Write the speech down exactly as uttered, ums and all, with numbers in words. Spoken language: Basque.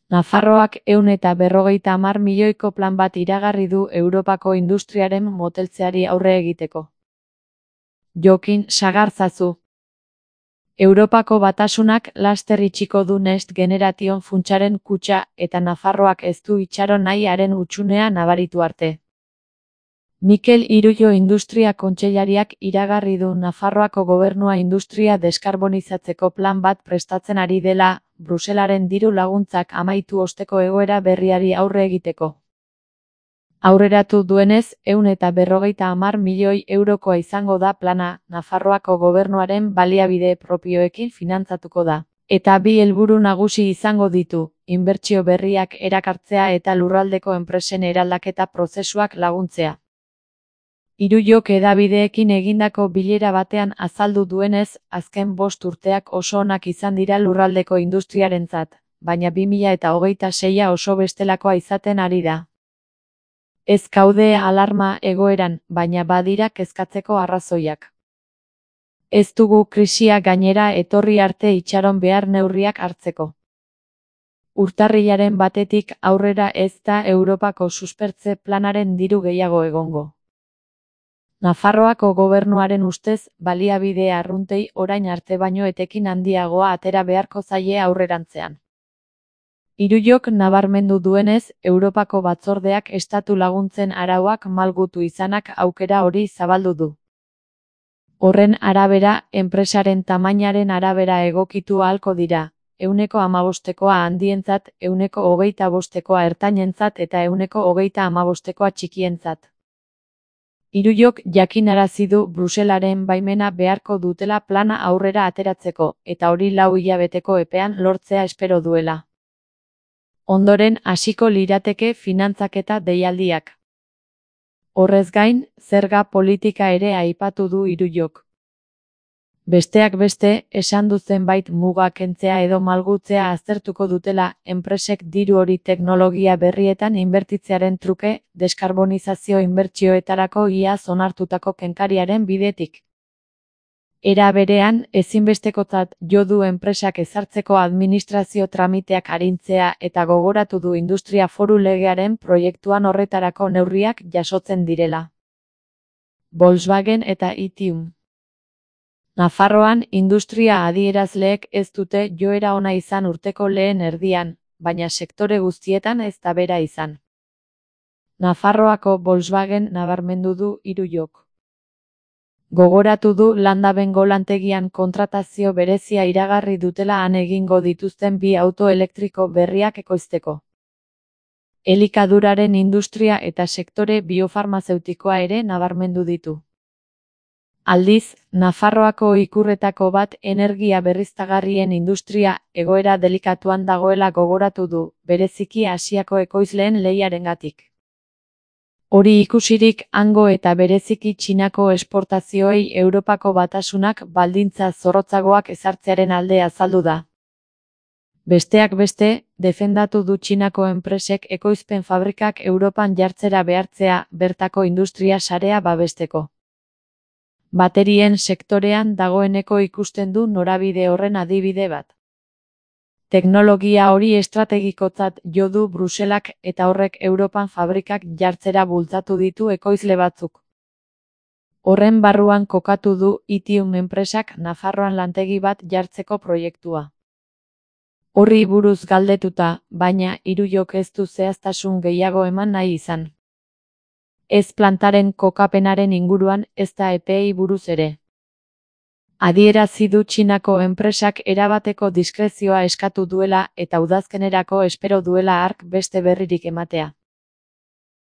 Nafarroak ehun eta berrogeita hamar milioiko plan bat iragarri du Europako industriaren moteltzeari aurre egiteko. Jokin Sagarzazu. Europako Batasunak laster itxiko du Next Generation funtsaren kutxa eta Nafarroak ez du itxaron nahi haren hutsunea nabaritu arte. Mikel Irullo Industria Kontseilariak iragarri du Nafarroako gobernua industria deskarbonizatzeko plan bat prestatzen ari dela, Bruselaren diru laguntzak amaitu osteko egoera berriari aurre egiteko. Aurreratu duenez, ehun eta berrogeita hamar milioi eurokoa izango da plana, Nafarroako gobernuaren baliabide propioekin finantzatuko da. Eta bi helburu nagusi izango ditu, inbertsio berriak erakartzea eta lurraldeko enpresen eraldaketa prozesuak laguntzea. Irullok hedabideekin egindako bilera batean azaldu duenez, azken bost urteak oso onak izan dira lurraldeko industriarentzat, baina bi mila eta hogeita seia oso bestelakoa izaten ari da. Ez gaude alarma egoeran, baina badira kezkatzeko arrazoiak. Ez dugu krisia gainera etorri arte itxaron behar neurriak hartzeko. Urtarrilaren batetik aurrera ez da Europako suspertze planaren diru gehiago egongo. Nafarroako gobernuaren ustez, baliabide arruntei orain arte baino etekin handiagoa atera beharko zaie aurrerantzean. Irullok nabarmendu duenez, Europako batzordeak estatu laguntzen arauak malgutu izanak aukera hori zabaldu du. Horren arabera, enpresaren tamainaren arabera egokitu ahalko dira, ehuneko hamabostekoa handientzat, ehuneko hogeita bostekoa ertainentzat eta ehuneko hogeita hamabostekoa txikientzat. Irullok jakinarazi du Bruselaren baimena beharko dutela plana aurrera ateratzeko, eta hori lau hilabeteko epean lortzea espero duela. Ondoren hasiko lirateke finantzaketa deialdiak. Horrez gain, zerga politika ere aipatu du Irullok. Besteak beste, esan du zenbait muga kentzea edo malgutzea aztertuko dutela, enpresek diru hori teknologia berrietan inbertitzearen truke, deskarbonizazio inbertsioetarako iaz onartutako kenkariaren bidetik. Era berean, ezinbestekotzat jo du enpresak ezartzeko administrazio tramiteak arintzea eta gogoratu du Industria Foru Legearen proiektuan horretarako neurriak jasotzen direla. Volkswagen eta Itium. Nafarroan industria adierazleek ez dute joera ona izan urteko lehen erdian, baina sektore guztietan ez da bera izan. Nafarroako Volkswagen nabarmendu du Irullok. Gogoratu du Landabengo lantegian kontratazio berezia iragarri dutela han egingo dituzten bi auto elektriko berriak ekoizteko. Elikaduraren industria eta sektore biofarmazeutikoa ere nabarmendu ditu. Aldiz, Nafarroako ikurretako bat energia berriztagarrien industria egoera delikatuan dagoela gogoratu du, bereziki Asiako ekoizleen lehiarengatik. Hori ikusirik hango eta bereziki Txinako esportazioei Europako Batasunak baldintza zorrotzagoak ezartzearen alde azaldu da. Besteak beste, defendatu du Txinako enpresek ekoizpen fabrikak Europan jartzera behartzea bertako industria sarea babesteko. Baterien sektorean dagoeneko ikusten du norabide horren adibide bat. Teknologia hori estrategikotzat jo du Bruselak eta horrek Europan fabrikak jartzera bultzatu ditu ekoizle batzuk. Horren barruan kokatu du Itium enpresak Nafarroan lantegi bat jartzeko proiektua. Horri buruz galdetuta, baina Irullok ez du zehaztasun gehiago eman nahi izan. Ez plantaren kokapenaren inguruan ez da epeei buruz ere. Adierazi du Txinako enpresak erabateko diskrezioa eskatu duela eta udazkenerako espero duela hark beste berririk ematea.